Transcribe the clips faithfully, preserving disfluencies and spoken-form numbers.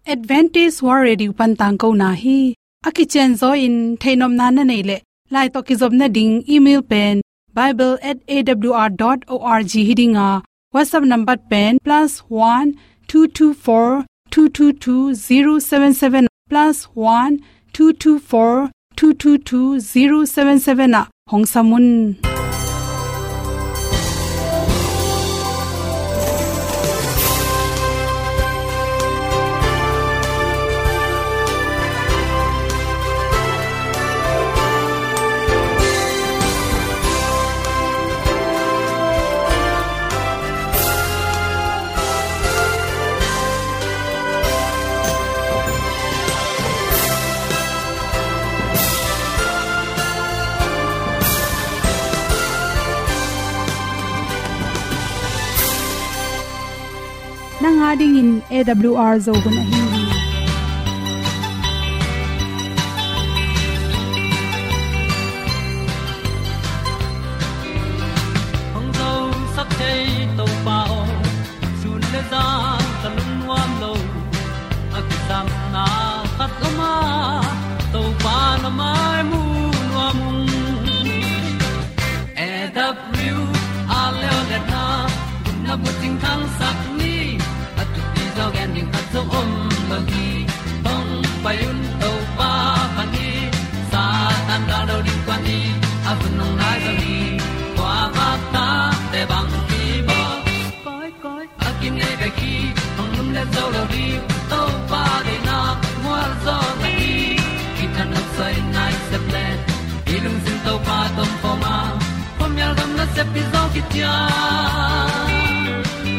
Adventist World Radio pan tangkona hi. A kicianzaw in theihnopna na neih leh, lai tawh kizopna ding email pen bible at A W R dot org hi ding a, WhatsApp number pen plus one two two four two two two zero seven seven, plus one two two four two two two zero seven seven ah hong sam un. Nang a dingin A W R Zo hun ahi hi. Hong zosak thei Topa aw, sun le zan ka lungnuam lo. A kisapna khat om a, Topa na mai mu nuam ung. A W R leo le na, gupna bucing thangsak ni, a thupi zaw gen ding khat zong om lo hi. Hong pai un Topa pan hi, Satan gal lo ding kuan hi, a hun hong nai zo hi. Kua vak ta te bang hi baw. Koi, koi, a kinei bek hi, hong lum le zo lo ding, Topa deihna mual zaw na hi. Kithanuam soi nai sep le, i lungsim Topa tawh om khawm a, khuamial gam nasep pi zaw kician,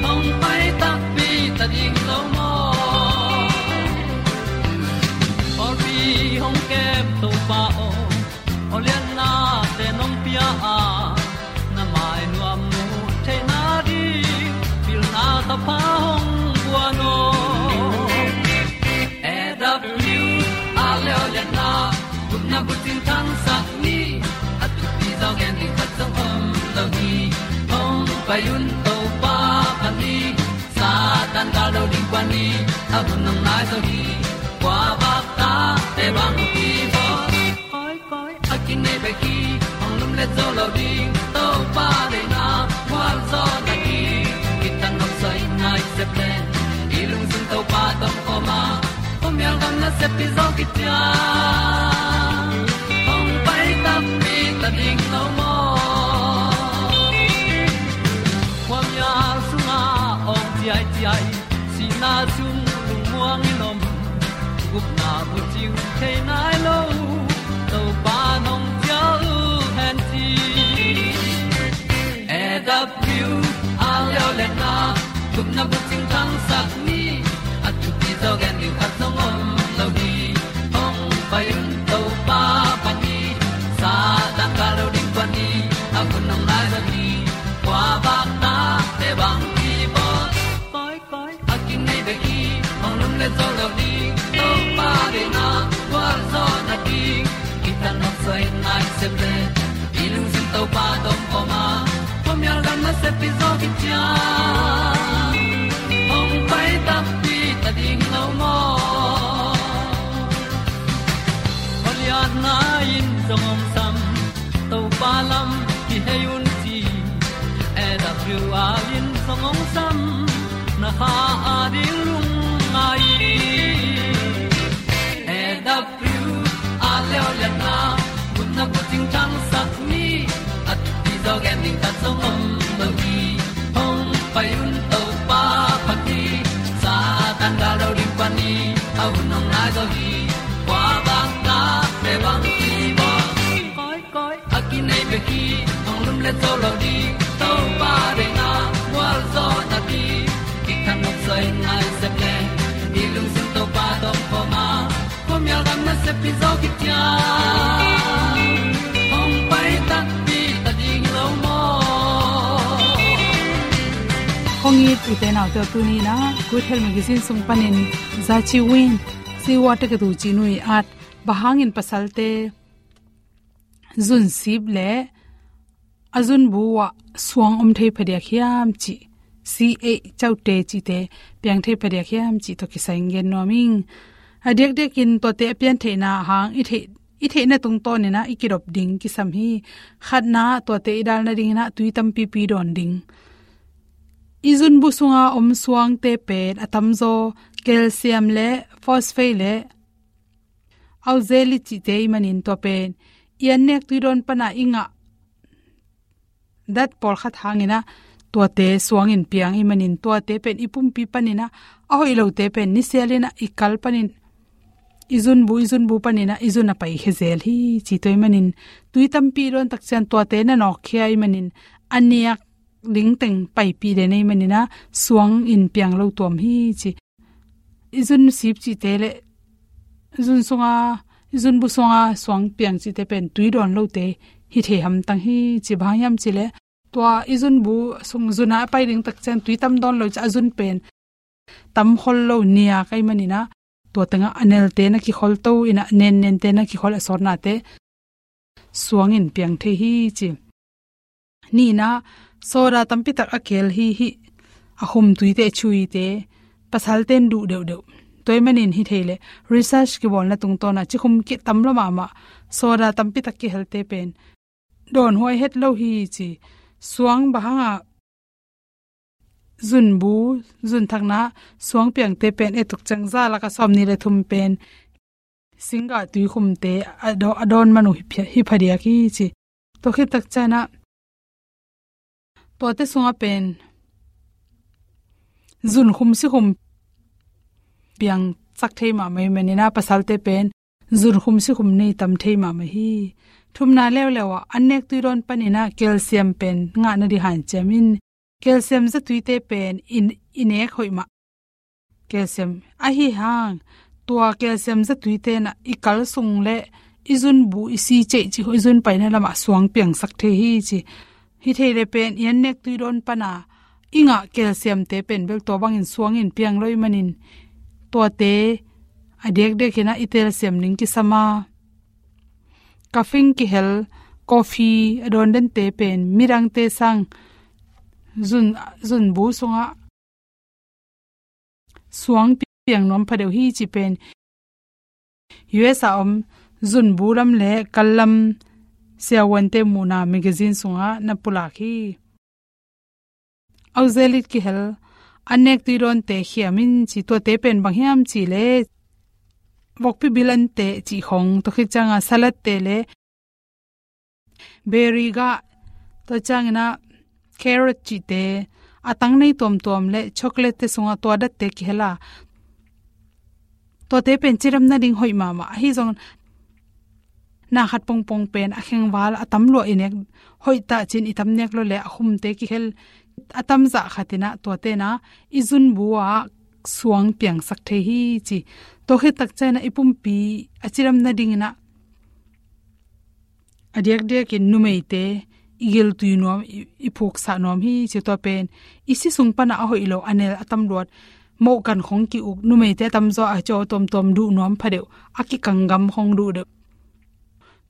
hong pai takpi ta ding lo maw. Pawlpi hong kem Topa aw, aw lianna te nong pia a, na mai nuam mu theihna ding pilna thapha hong guan aw. A W R leo le na, gupna bucing thangsak ni, a thupi zaw gen ding khat zong om lo hi. Hong pai un Topa pan hi, Satan gal lo ding kuan hi, a hun hong nai zo hi. Kua vak ta te bang hi baw. Koi, koi, a kinei bek hi, hong lum le zo lo ding, Topa deihna mual zaw na hi. Kithanuam soi nai sep le, i lungsim Topa tawh om khawm a, khuamial gam nasep pi zaw kician, hong pai takpi ta ding lo maw. Khuamial sungah awng ciaiciai, sihna sung lungmuang in om, gupna bucing thei nai lo, Topa nong cial hen ci. A W R leo le na, gupna bucing thangsak ni, a thupi zaw gen ding khat zong om lo hi. Hong pai un Topa pan hi, Satan gal lo ding kuan hi, a hun hong nai zo hi. Kua vak ta te bang hi baw. Koi, koi, a kinei bek hi, hong lum le zo lo ding, Topa deihna mual zaw na ding. Kithanuam soi nai sep le, i lungsim Topa tawh om khawm a, khuamial gam nasep pi zaw kician, hong pai takpi ta ding lo maw. Aw lianna in zong hong sam, Topa lam kihei un ci. A W R in zong hong sam, na kha a ding lungngai. A W R leo le na, gupna bucing thangsak ni, a thupi zaw gen ding khat zong om lo hi. Hong pai un Topa pan hi, Satan gal lo ding kuan hi, a hun hong nai zo hi. Kua vak ta te bang hi baw. Koi, koi, a kinei bek hi, hong lum le zo lo ding, Topa deihna mual zaw na hi. Kithanuam soi nai sep le, i lungsim Topa tawh om khawm a, khuamial gam nasep pi zaw kician, hong pai takpi ta ding lo maw. Hong it u te nau te, tuni in ah Good Health Magazine sung panin Za Chi Win, Siwa te ka tu ci nui at, bang hangin pasalte zun sip le a zunbu ah suang om thei phadiak hiam cih C A caute cihte piang thei phadiak hiam cih tawh kisai in gen nuam ing. A diakdiakin tuate a pian theihna hang i theih, i theihna tungtawnin ah i kidop ding kisam hi. Khatna, tuate i dal nadingin ah tui tampipi dawn ding. I zunbu sunga om suangte pen a tamzaw calcium le phosphate le oxalate cihte ahih manin tua pen i annek tui dawn pana i ngah dat pawlkhat hangin ah tuate suangin piang ahih manin tuate pen i pumpi panin ah a hoih lote pen nisialin ah i kal panin i zunbu, i zunbu panin ah i zun a paikhia zel hi ci. Tua ahih manin tui tampi dawn tak ciang tuate na nawkkhia ahih manin a nek ding teng paipih den ahih manin ah suangin piang lo tuam hi ci. I zun sip cihte le zun sunga, i zunbu sunga suang piang cihte pen tui dawn lote hi thei hamtang hi ci. Bang hang hiam cih leh tua i zunbu sung zun a pai ding tak ciang tui tam dawn lo ciang a zun pen tam khol lo, niak ahih manin ah tua tengah a nelte na kikhol to in ah, nennente na kikhol, a sawtnate suangin piang thei hi ci. Nihna, soda tampi tak a kel hi, hih a khum tuite, chuite, pasalte in duh deuhdeuh. Tua ahih manin hi thei leh research kibawlna tungtawn ah cikhum kitam lo mahmah, soda tampi tak kihelte pen dawnhuai het lo hi ci. Suang bang hangah zunbu, zunthakna suang piangte pen et tuk ciang za lakah sawmnih le thum pen singgah tuikhumte a daw-, a dawn man uh hi phia-, hi phadiak hi ci. Tua khit tak ciang ah tuate sungah pen zunkhum sikhum piangsak thei mahmah ahih manin ah pasalte pen zunkhum sikhum nei tam thei mahmah hi. Thumna leuleu ah annek tui dawn panin ah calcium pen ngah nading hanciam in, calcium zatuite pen i, i nek hoih mah. Calcium ahi hang, tua calcium zatuite in ah i kal sung le i zunbu, i si ceih cih khawng, i zun paina lamah suang piangsak thei hi ci. Hi thei leh pen i annek tui dawn pana i ngah calciumte pen bel tua bangin suangin piang lo ahih manin tuate a diakdiakin ah i telsiam ding kisam a, caffeine kihel, coffee a dawn dente pen midangte sang zun, zunbu sungah suang piang nuam phadeuh hi cih pen U S a om zunbu lam le kal lam siavuante muhna magazine sungah na pulak hi. Oxalate kihel, annek tui dawnte khiam in ci. Tuate pen bang hiam cih leh vokpi bil ante cih khawng, tua khit ciang ah salad te le berry gah, tua ciangin ah carrot cihte, a tang nei tuamtuam le chocolate te sungah tua datte kihel a, tuate pen cidam nading hoih mahmah. Ahi zong na khat pongpong pen a khengval a tam lua i nek, hoih tah ci-in i tam nek lo leh a khumte kihel, a tam zah khat in ah tuate in ah i zunbu ah suang piangsak thei hi ci. Tua khit tak ciang ah i pumpi a cidam nadingin ah a diakdiakin numeite i giltui nuam, i, i phuksah nuam hi ci. Tua pen i si sung pana a hoih lo, a nel, a tam luat, mohkan khawng ki-uk, numeite a tamzaw a caw tuamtuam duh nuam phadeuh, a kikang gam khawng duh deuh.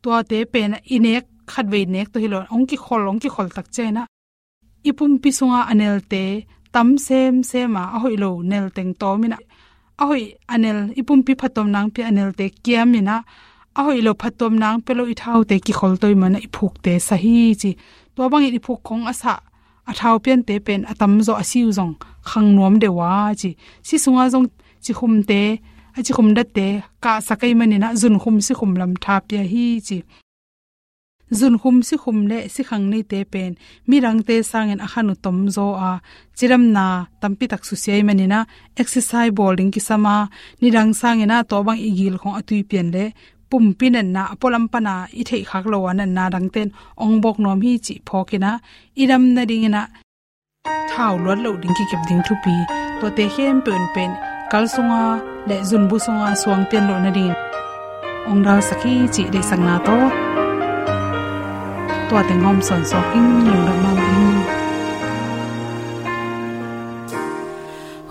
Tuate pen i nek, khatvei nek tawh hi lo, hong kikhol, hong kikhol tak ciang ah i pumpi sunga a nelte tam semsem a, a hoih lo nel teng tawm in ah, a hoih a nel, i pumpi phattuam nangpi a nelte kiam in ah, a hoih lo phattuam nangpi lo i thaute kikhol to ahih manin ah i phukte sa hi ci. Tua bangin i phuk khawng a sah, a thau piante pen a tamzaw a si uh zong khang nuam deuh a ci. Si sunga zong cikhumte, a cikhum datte kahsak ahih manin ah zunkhum sikhum lam tha pia hi ci. Zunkhum sikhum le sikhang neite pen midangte sangin a khan uh tomzaw a, cidamna tampi tak susia ahih manin ah exercise bawl ding kisam a, nidang sangin ah tua bang i gil khawng a tui pian le pumpi natna, a pualam pana i theih khak lo a natna dangte in hong bawk nuam hi cih phawk in ah i dam nadingin ah thau luat loh ding, kikep ding thupi, tuate khempeuh in pen kal sunga le zunbu sunga suang pian loh nadingin hong dalsak hi cih deihsakna tawh tua teng hawm sawnsawn ing. Lungdam mahmah ing.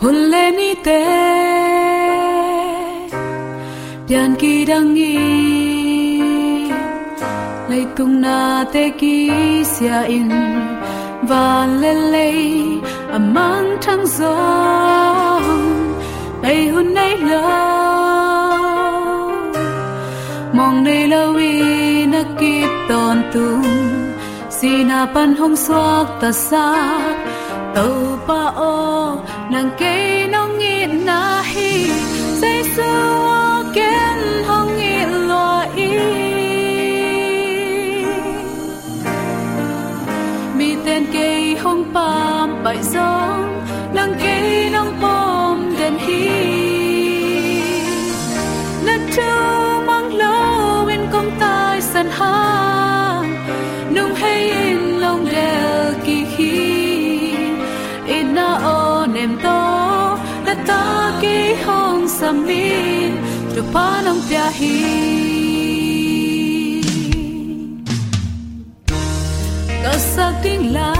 Hun le nite pian kidang in, leitung nate kisia in, van le lei A mangthang zong bei hun nei lo, mawng nei lo i na kip tawntung, sihna pan hong suaktasak Topa aw, nang kei nong itna hi. Jesu aw, ken hong it lua i, miten kei hong pampaih zong, nang kei nong pom den hi. Na thu mang lo in kong taisan hang, nung hei in long del kik hi. Itna aw nem tawh, na ta kei hong sam in, thupha nong pia hi. Ka sak ding la,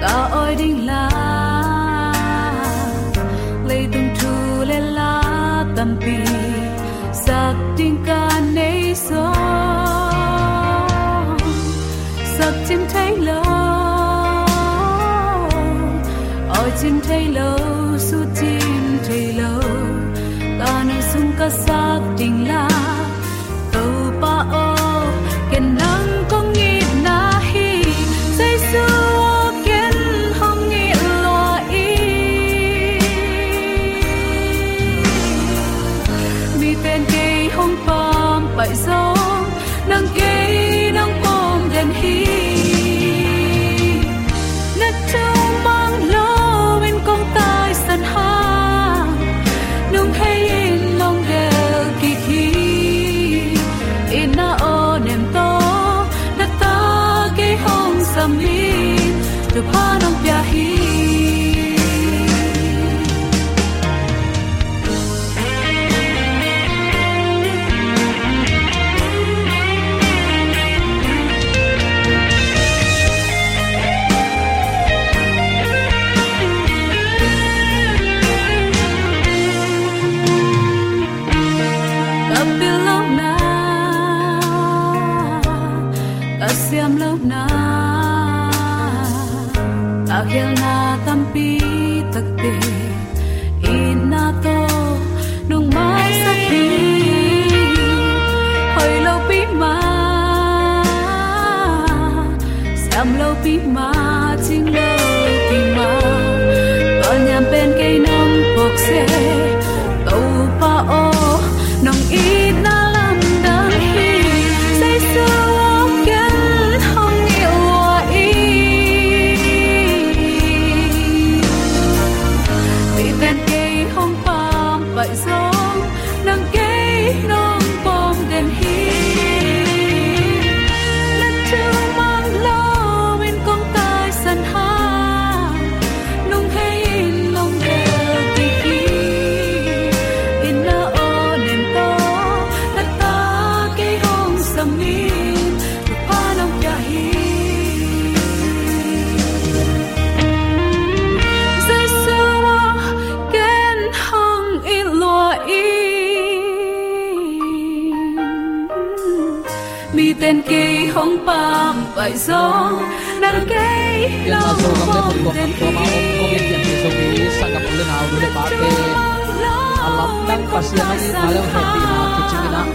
ka awi ding la, leitung thu le la tampi sak ding ka nei zong, sak cim thei lo, awi cim thei lo, su cim thei lo, ka nu sung ka sak ding la. Topa aw, ken nang kong itna hi. Jesu aw, ken hong it lua i, miten kei hong pampaih zong, nang kei nong pom den hi. Na thu mang lo in kong taisan hang, nung hei in long del kik hi. Itna aw nem tawh, na ta kei hong sam in, thupha nong pia hi. Ka pil lohna, ka siam lohna, ka khialhna tampi takte, itna tawh nong maisak hi. Hoi lopi mah, siam lopi mah, cing lopi mah, ka niam pen kei nong phawk se. Topa aw, nong itna lamdang hi. Jesu aw, ken hong it lua i, miten kei hong pampaih zong, nang kei nong pom den hi. Na thu mang lo in kong taisan hang, nung hei in long del kik hi. Itna aw nem tawh, na ta kei hong sam in, thupha nong pia hi. Jesu aw, ken hong it lua i, miten kei hong pampaih zong, nang kei nong pom den hi. A lamdang Pasian hong itna le hong hehpihna kicing in ah,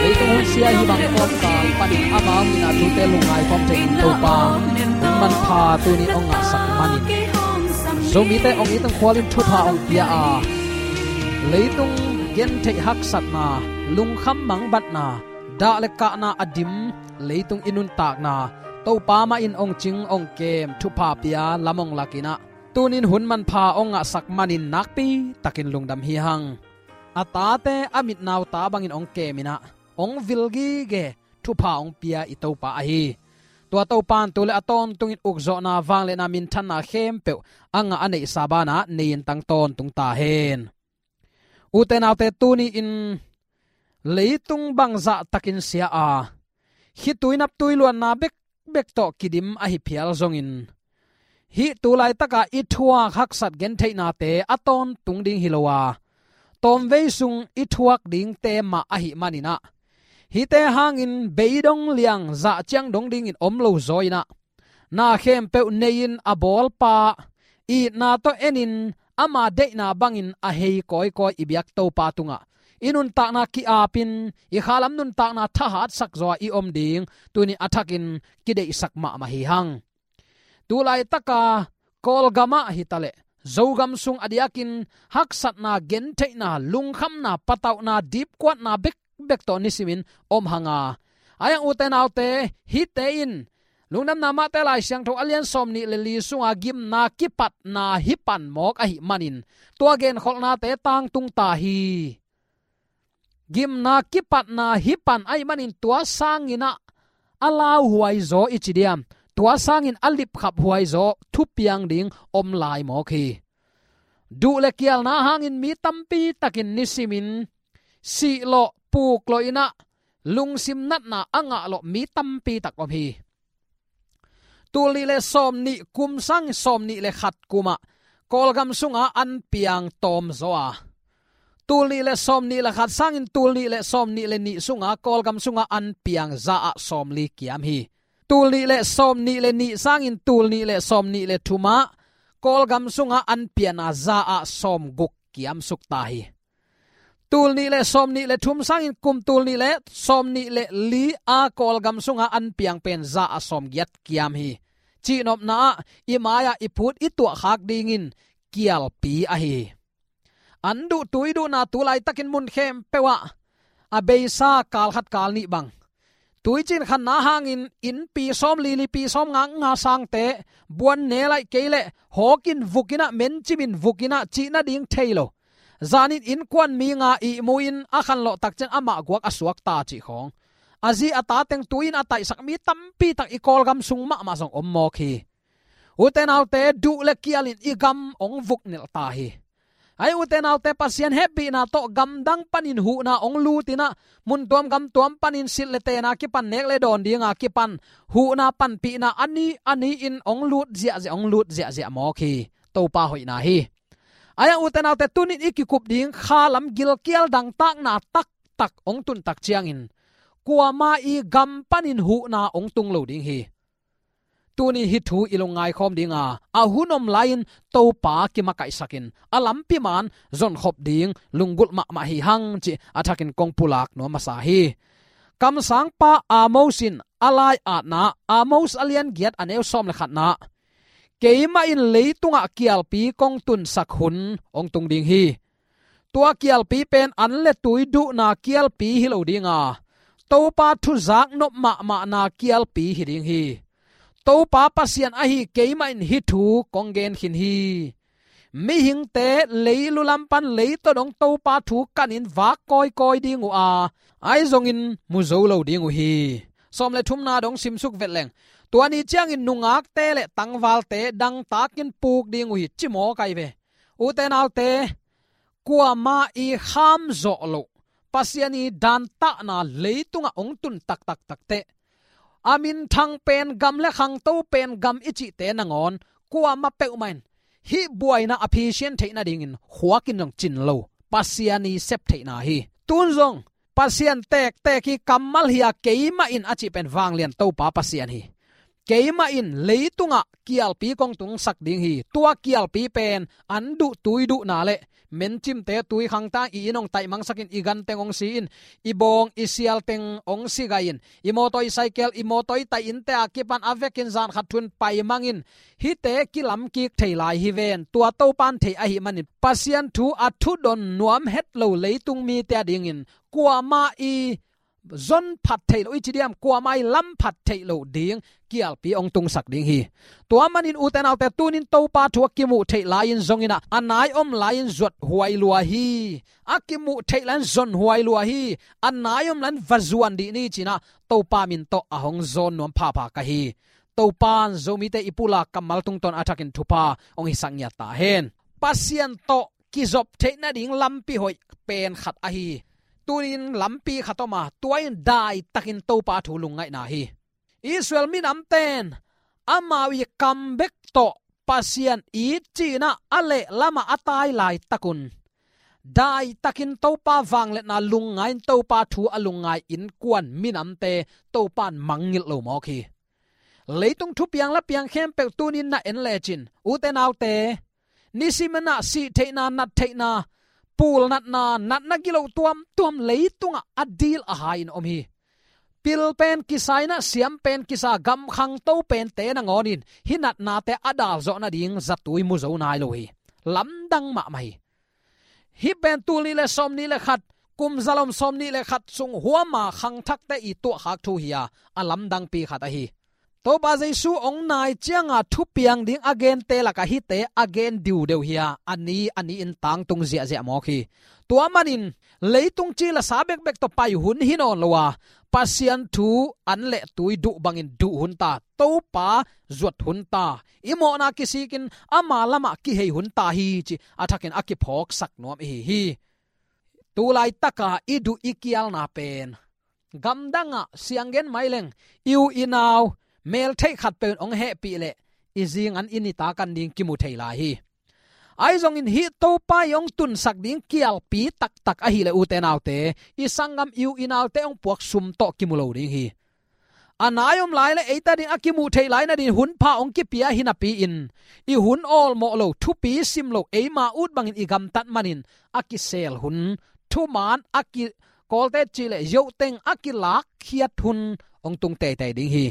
leitung hun sia hih bang kawmkal panin amau itna thute lungngai khawm thei in Topa, hun manpha tuni hong ngahsak manin, Zomite hong it hong khual in thupha hong pia a, leitung gentheih haksatna, lungkham mangbatna, dah le kahna a dim leitung i nuntakna, Topa mah in hong cing hong kem, thupha pia lam hong lak in ah, tunin hun manpha hong ngahsak manin nakpi takin lungdam hi hang. A tate a mitnau ta bangin hong kem in ah, hong vil gige, thupha hong pia i Topa ahi. Tua Topa in tu le a tawntungin ukzawhna, vangliatna, minthanna khempeuh a ngah a neihsa banah nei in tang tawntung ta hen. Ute naute, tuni-in leitung bangzah takin sia a, khitui naptui luanna bekbek tawh kidim ahi phial zongin, hih tu laitaka i thuak haksat gentheihnate a tawntung ding hi lo a, tawmvei sung i thuak dingte mah ahih manin ah, hihte hangin beidong liang zah ciang dong dingin om lo zaw in ah, na khempeuh nei-in a bawlpa, itna tawh enin ama deihna bangin a hei kawikawi i biak Topa tungah i nuntakna ki-apin, i khalam nuntakna thahatsak zaw-a i om ding tuni a thakin kideihsak mahmah hi hang. Tu laitaka Kawlgamah hitaleh Zogam sung a diakin haksatna, gentheihna, lungkhamna, patauhna, dipkuatna bekbek tawh nisimin om hanga. Ahi hang ute naute, hihte in Lungdamna Mate Lai Siangtho a lian sawmnih le li sunga gimna kipatna hi pan mawk ahih manin tua genkholhnate tangtung ta hi. Gimna kipatna hi pan ahih manin tua sangin ah a lauhuai zaw i ci diam, tua sangin a lipkhaphuai zaw thupiang ding om lai mawk hi. Duh le kialna hangin mi tampi takin nisimin sihlawh, puklawh in ah lungsim natna a ngahlawh mi tampi tak om hi. Tul nih le sawmnih kum sangin sawmnih le khat kumah Kawlgam sunga an piang tawm zaw a, tul nih le sawmnih le khat sangin tul nih le sawmnih le nih sunga Kawlgam sunga an piang za ah sawmli kiam hi. Tul nih le sawmnih le nih sangin tul nih le sawmnih le thumah Kawlgam sunga an piang a za ah sawmguk kiam suk ta hi. Tul nih le sawmnih le thum sangin kum tul nih le sawmnih le li a Kawlgam sunga an piang pen za ah sawmgiat kiam hi. Cihnopna ah i mai-ah i phut i tuahkhak dingin kialpi ahi hi. An duh tui duhna tu laitakin mun khempeuh ah a beisa kal khat kal nih bang. Tuicin khanna hangin innpi sawmli, lipi sawmnga, nga sangte buan ne laih kei leh hawkin vukin ah, mencimin vukin ah cih nading thei lo. Zanin innkuan mi nga ihmu-in a khanlawh takciang amah guak a suakta cih khawng. A zi a ta teng tui-in a taihsak mi tampi tak i Kawlgam sung mahmah zong om mawk hi. Ute naute, duh le kialin i gam hong vuknilh ta hi. Ahi ute naute, Pasian hehpihna tawh gamdang panin huhna hong lutin ah, muntuam gamtuam panin silh le tena kipan, nek le dawn dinga kipan huhna panpihna a ni a ni-in hong lut ziahziah, hong lut ziahziah mawk hi. Topa hoihna hi. Ahi hang ute naute, tunin i kikup ding khalam gilkial dangtakna taktak hong tun tak ciangin kuama i gam panin huhna hong tung lo ding hi. Tuni hih thu i lungngai khawm dinga, a hun om lai-in Topa kimakaihsakin a lampi man zonkhop ding lunggulh mahmah hi hang cih a thakin kong pulak nuam masa hi. Kamsangpa Amos in a lai-atna, Amos a lian giat a neu sawm le khatna, keimah in leitungah kialpi kong tunsak hun hong tung ding hi. Tua kialpi pen an le tui duhna kialpi hi lo dinga, Topa thu zaknop mahmahna kialpi hi ding hi. Topa Pasian ahi keimah in hih thu kong gen khin hi. Mihingte leilu lam pan leitaw dong Topa thu kanin vak kawikawi ding uh a, ahi zongin mu zo lo ding uh hi. Sawm le thumna dong simsuk vet leng, tua ni ciangin nungakte le tangvalte dangtakin puk ding uh hi, ci mawk ahi ve. Ute naute, kuama i kham zawh loh, Pasian i dantahna leitungah hong tun taktak takteh, a minthang pen gam le khangto pen gam i cihte nangawn kuama peuhmah in hih buaina a phisian theih nadingin khuakin zong cin lo, Pasian i sep theihna hi. Tun zong Pasian tektek hi, kammal hi a, keimah in a cih pen vanglian Topa Pasian hi. Keimah in leitungah kialpi kong tungsak ding hi. Tua kialpi pen an duh tui duhna le mencimte tui khangta i inn hong taihmangsakin, i ganteng hong si-in, i bawng i sialteng hong sigahin, i mawtaw i saikel, i mawtaw i taih innte a kipan a vekin zan khat thun paimangin, hihte kilamkik thei lai hi ven. Tua Topan thei ahih manin Pasian thu a thudon nuam het lo leitung mite adingin kuama i zon phat theih loh i ci diam, kuama i lam phat theih loh ding kialpi hong tungsak ding hi. Tua manin ute naute, tunin Topa thu a kimuh theih lai-in zongin ah, a nai om lai-in zuat huai lua hi. A kimuh theih lai-in zon huai lua hi. A nai om lai-in va zuan dih ni ci-in ah Topa min tawh a hong zawn nuam phapha ka hi. Topan Zomite i pulak kammal tungtawn a thakin thupha hong hisak ngiat ta hen. Pasian tawh kizop theih nading lampi hoih pen khat ahi. Tunin lampi khat om a, tua in daitakin Topa thu lungngaihna hi. Israel minamten amau i kam bek tawh Pasian it ci-in ah a lehlamah a tai laitakun, daitakin Topa vangliatna lungngai-in Topa thu a lungngai innkuan minamte Topan mangngilh lo mawk hi. Leitung thupiang lapiang khempeuh tunin na en lecin, ute naute, nisimin ah sih theihna, nat theihna, pul natna, natna gilo tuamtuam leitungah a dil a hai in om hi. Pil pen kisa in ah, siam pen kisa, gam khangto pente nangawnin hih natnate a dal zawh nading zatui mu zo nai lo hi. Lamdang mahmah hi. Hih pen tul nih le sawmnih le khat, kum zalom sawmnih le khat sung huama khangthakte i tuahkhak thu hi a, a lamdangpi khat ahi. Topa Jesu hong nai cianga thupiang ding a gente lakah hihte a gen diudeu hi a, a ni a ni-in tangtung ziahziah mawk hi. Tua manin leitung ci le sa bekbek tawh pai hun hi nawn lo a, Pasian thu an le tui duh bangin duh hun ta, Topa zuat hun ta, i mawhna kisikin ama lamah kihei hun ta hi ci a thakin a kiphawksak nuam ihi hi. Tulaitaka i duh i kialna pen gamdangah sianggen maileng, i u i nau, meltheih khatpeuh in hong hehpih leh i zingan i nitak an ding kimu thei lai hi. Ahi zongin hih Topa i hong tunsak ding kialpi taktak ahih leh, ute naute, i sanggam, i u i naute hong puak sum tawh kimu lo ding hi. A nai om lai le eite ading a kimuh theih lai nadin hun pha hong kipia hi napi-in, i hun awlmawh lo, thupi sim lo, eima ut bangin i gamtat manin a kisel hun, thuman a ki, kawlte cih leh yohteng a kilakkhiat hun hong tung teitei ding hi.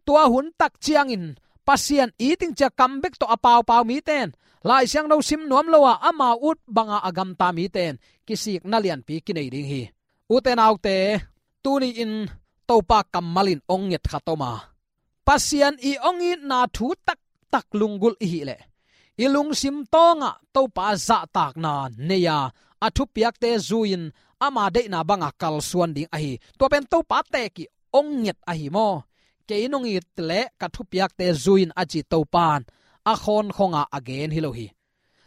Tua hun tak ciangin Pasian it ding ci-a kam bek tawh a paupau mite in, Lai Siangtho sim nuam lo a, amau ut banga a gamta mite in kisikna lianpi kinei ding hi. Ute naute, tuni-in Topa kammal in hong nget khat om a, Pasian i hong itna thu taktak lunggulh ihih leh, i lungsim tawngah Topa zahtakna nei a, a thupiakte zui-in ama deihna banga kalsuan ding ahi. Tua pen Topa teek i hong nget ahi maw? Kei nong it leh ka thupiakte zui-in a ci Topa in a khawnkhonga a gen hi lo hi.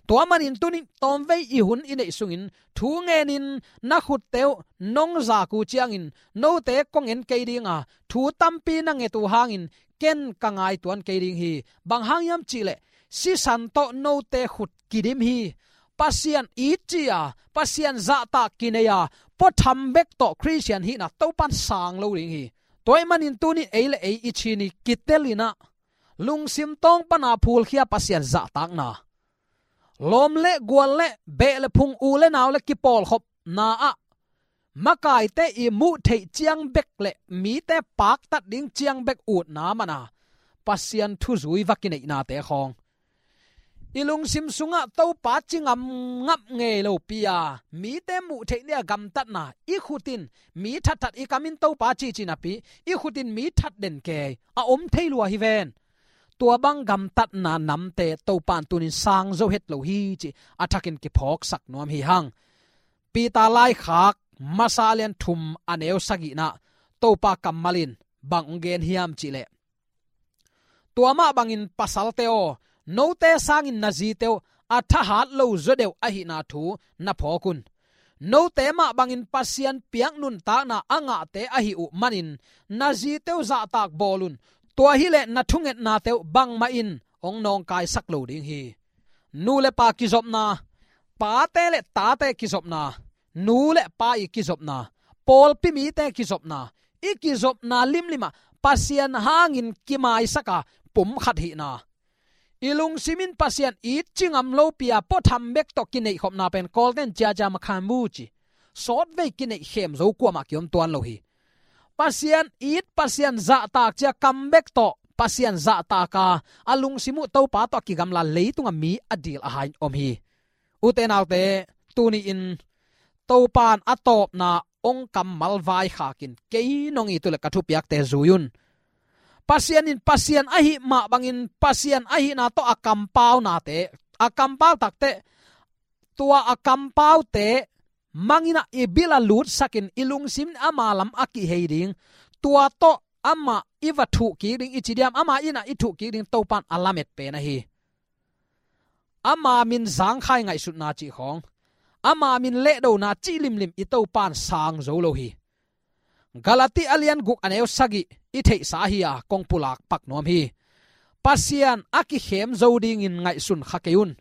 Tua manin tunin tawmvei i hun i neih sungin thu ngenin na khutte uh nong zak uh ciangin note kong en kei ding a, thu tampi na nget uh hangin ken ka ngaituan kei ding hi. Bang hang hiam cih leh sisan tawh note khut kidim hi. Pasian it ci-a, Pasian zahtak kinei a, puatham bek tawh Khristian hihna Topa in sang lo ding hi. Tua ahih manin tunin ei le ei i ci ni, kitelin ah lungsim tawng pana phulkhia Pasian zahtakna, lawm le gual le beh le phung, u le nau le kipawlkhopna ah makaite i muh theih ciang bek le mite paktat ding ciang bek utna mana Pasian thuzui va kineihnate khawng, i lungsim sungah Topa ci ngamngap ngei lopi a, mite muh theih ni-a gamtatna, i khutin mi thatthat, i kamin Topa cici napi i khutin mi that den kei a om thei lua hi ven. Tua bang gamtatna namte Topa in tunin sang zo het lo hi ci a thakin kiphawksak nuam hi hang. Peter laikhak masa lian thum a neu sagihna Topa kammal in bang hong gen hiam cih leh, tua mah bangin pasalte aw, note sangin na zite uh a thahat lo zaw deuh ahihna thu na phawk un. Note mah bangin Pasian piak nuntakna a ngahte ahih uh manin na zite uh zahtak bawl un. Tua hileh na thungetnate uh bangmah in hong nawngkaisak lo ding hi. Nu le pa kizopna, pate le tate kizopna, nu le pa i kizopna, pawlpi mite kizopna, i kizopna limlimah Pasian hangin kimaisaka pum khat hihna, i lungsim in Pasian it ci ngam lopi a puatham bek tawh kineihkhopna pen Kawlten ciacia makhan mu ci, sawtvei kineihkhem zo kuamah kiom tuan lo hi. Pasian it, Pasian zahtak ci-a kam bek tawh Pasian zahtak a, a lungsim uh Topa tawh a kigamla leitungah mi a dil a hai in om hi. Ute naute, tuni-in Topa in a tawpna hong kammal vaikhakin kei nong it uh leh ka thupiakte zui un. Pasian in Pasian ahih mah bangin Pasian ahihna tawh a kampaunate, a kampau takte, tua a kampaute mangin ah i bil a lutsakin i lungsim in ama lam a kihei ding, tua tawh amah i va thuh kik ding i ci diam, ama in ah i thuh kik ding Topa in a lamet pen ahi. Ama min zangkhai ngaihsutna cih khawng, ama min lehdona cih limlim i Topa in sang zo lo hi. Galati a lian guk a neu sagih i theihsa hi a, kong pulak pak nuam hi. Pasian a kikhem zo dingin ngaihsun kha kei un.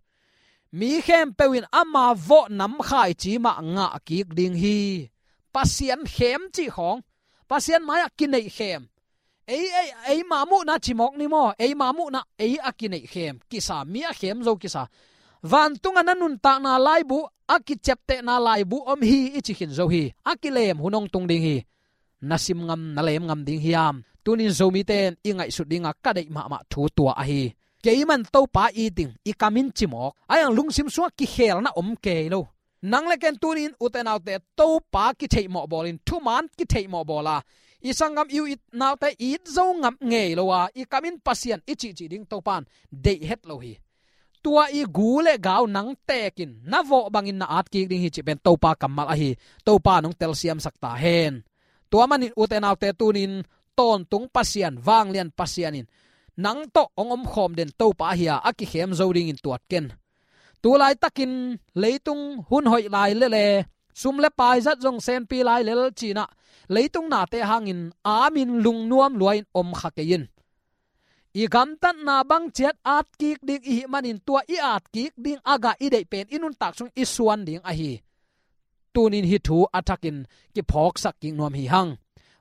Mi khempeuh in ama vawh namkhai ci mah ngah kik ding hi. Pasian khem cih khawng, Pasian mai-ah kineihkhem. Ei, ei, eima muhna cimawk ni maw? Eima muhna ei a kineihkhem kisa, mi a khem zo kisa. Vantungah na nuntakna laibu, a kiciaptehna laibu om hi i ci khin zo hi. A kilem hun hong tung ding hi. Na sim ngam, na lem ngam ding hiam? Tunin Zomite in i ngaihsut dinga ka deih mahmah thu tua ahi. Keiman Topa it ding, i kamin cimawk. A iang lungsim sungah kikhelna om kei lo. Nang le ken tunin ute naute Topa kitheihmawh bawlin, thuman kitheihmawh bawla, i sanggam i u i naute it zo ngam ngei lo a, i kamin Pasian i cihcih ding Topan deih het lo hi. Tua i gu le gau nang tekin na vawh bangin na atkik ding hi cih pen Topa kammal ahi. Topa nong telsiamsak ta hen. Tua manin ute naute tunin tawntung Pasian, vanglian Pasian in nang tawh hong omkhawm den Topa ahi a, a kikhem zo dingin tuat ken. Tulaitakin leitung hun hoih lai lele, sum le pai zat zong senpi lai lel cinah, leitung nate hangin amin lungnuam luain om kha kei in. I gamtatna bang ciat atkik ding i hih manin tua i atkik ding a gah i deih pen i nuntak sung i suan ding ahi. Tunin hih thu a thakin kiphawksak kik nuam hi hang.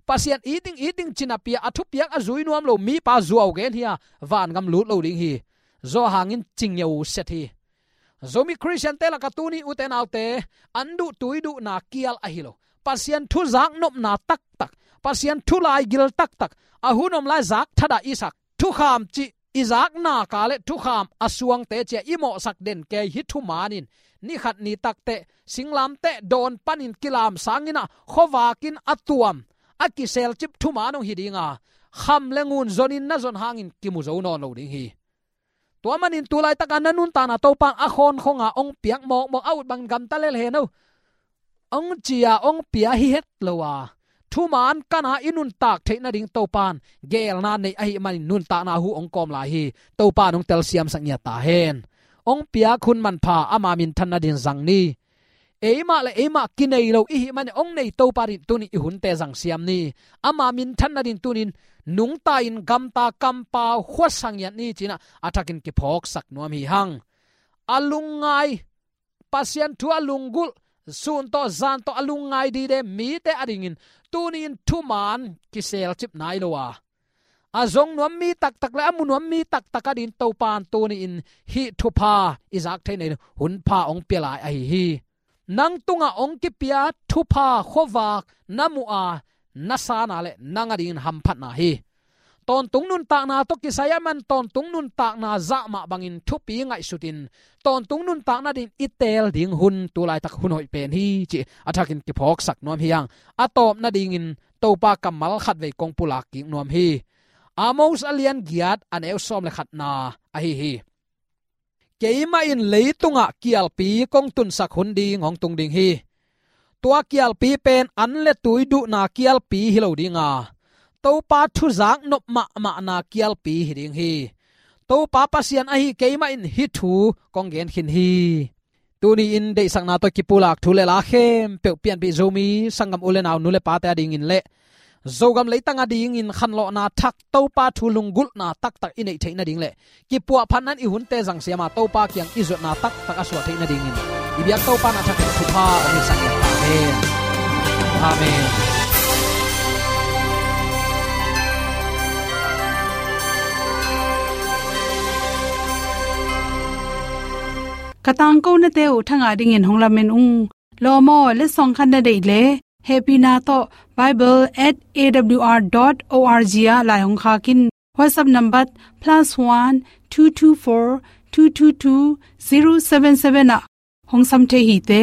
Pasian it ding, it ding cinapi a thupiak a zui nuam lo mipa zuau gen hi a, vangam lut lo ding hi. Zawhang in cingeu set hi. Zomi Khristiante lakah tuni ute naute an duh tui duhna kial ahi lo. Pasian thu zaknopna taktak, Pasian thu laigil taktak, a hun om lai zak thadah i sak thukham cih i zakna ka le thukham a suangte cia i mawhsak den kei hi thuman in, ni khat ni takteh singlamteh dawn panin kilam sanginah khuavakin a tuam a kiselcip thuman hong hi dinga, kham le ngun zonin na zon hangin kimu zo nawn lo ding hi. Tua manin tulaitaka na nuntakna Topan a khawnkhonga hong piak mawkmawk a ut bangin gamta lel hen o. Hong cia hong pia hi het lo a, thuman kana i nuntak theih nading Topan geelna nei ahih manin nuntakna hu hong kawm lai hi. Topan hong telsiamsak ngiat ta hen. Hong piak hun manpha ama minthan nadin zang ni. Eimah le eimah kinei lo i hih manin hong nei Topa din tunin i hunte zangsiam ni. Ama minthan nadin tunin nungta in gamta kampau khuasa ngiat ni cinah a thakin kiphawksak nuam hi hang. A lungngai, Pasian thu a lunggulh, sun tawh zan tawh a lungngai dide mite adingin tunin thuman kiselcip nai lo a, a zong nuam mi taktak le a mu nuam mi taktak adin Topan tuni-in hih thupha i zak thei nadin hunpha hong pia lai ahi hi. Nang tungah hong kipia thupha khuavak na muh a, na sana le nang adingin hamphatna hi. Tawntung nuntakna tawh kisai a man tawntung nuntakna zah mah bangin thupi ngaihsutin tawntung nuntakna din i teel ding hun tulaitak hun hoih pen hi cih a thakin kiphawksak nuam hi hang. A tawp nadingin Topa kammal khatvei kong pulak kik nuam hi. Amos a lian giat a neu sawm le khatna ahi hi. Keimah in leitungah kialpi kong tunsak hun ding hong tung ding hi. Tua kialpi pen an le tui duhna kialpi hi lo dinga, Topa thuzak nop mahmahna kialpi hi ding hi. Topa Pasian ahi keimah in hih thu kong gen khin hi. Tuni-in deihsakna tawh kipulak thu le la khempeuh pianpih Zomi sanggam u le nau, nu le pate adingin le Zogam leitang adingin khanlawhna thak Topa thu lunggulhna taktak i neih theih nading le kipuahphatna in i hunte zangsiama Topa kiang i zuatna taktak a suah theih nadingin i biak Topa na thakin thupha hong hisak ta hen. Amen. Ka tangkonate uh thangah dingin hong lamen ung. Lawm aw, letsong khat na deih le hehpihna tawh bible at A W R dot O R G ah lai hong khak in. WhatsApp number plus one two two four two two two zero seven seven ah hong sam thei hi te.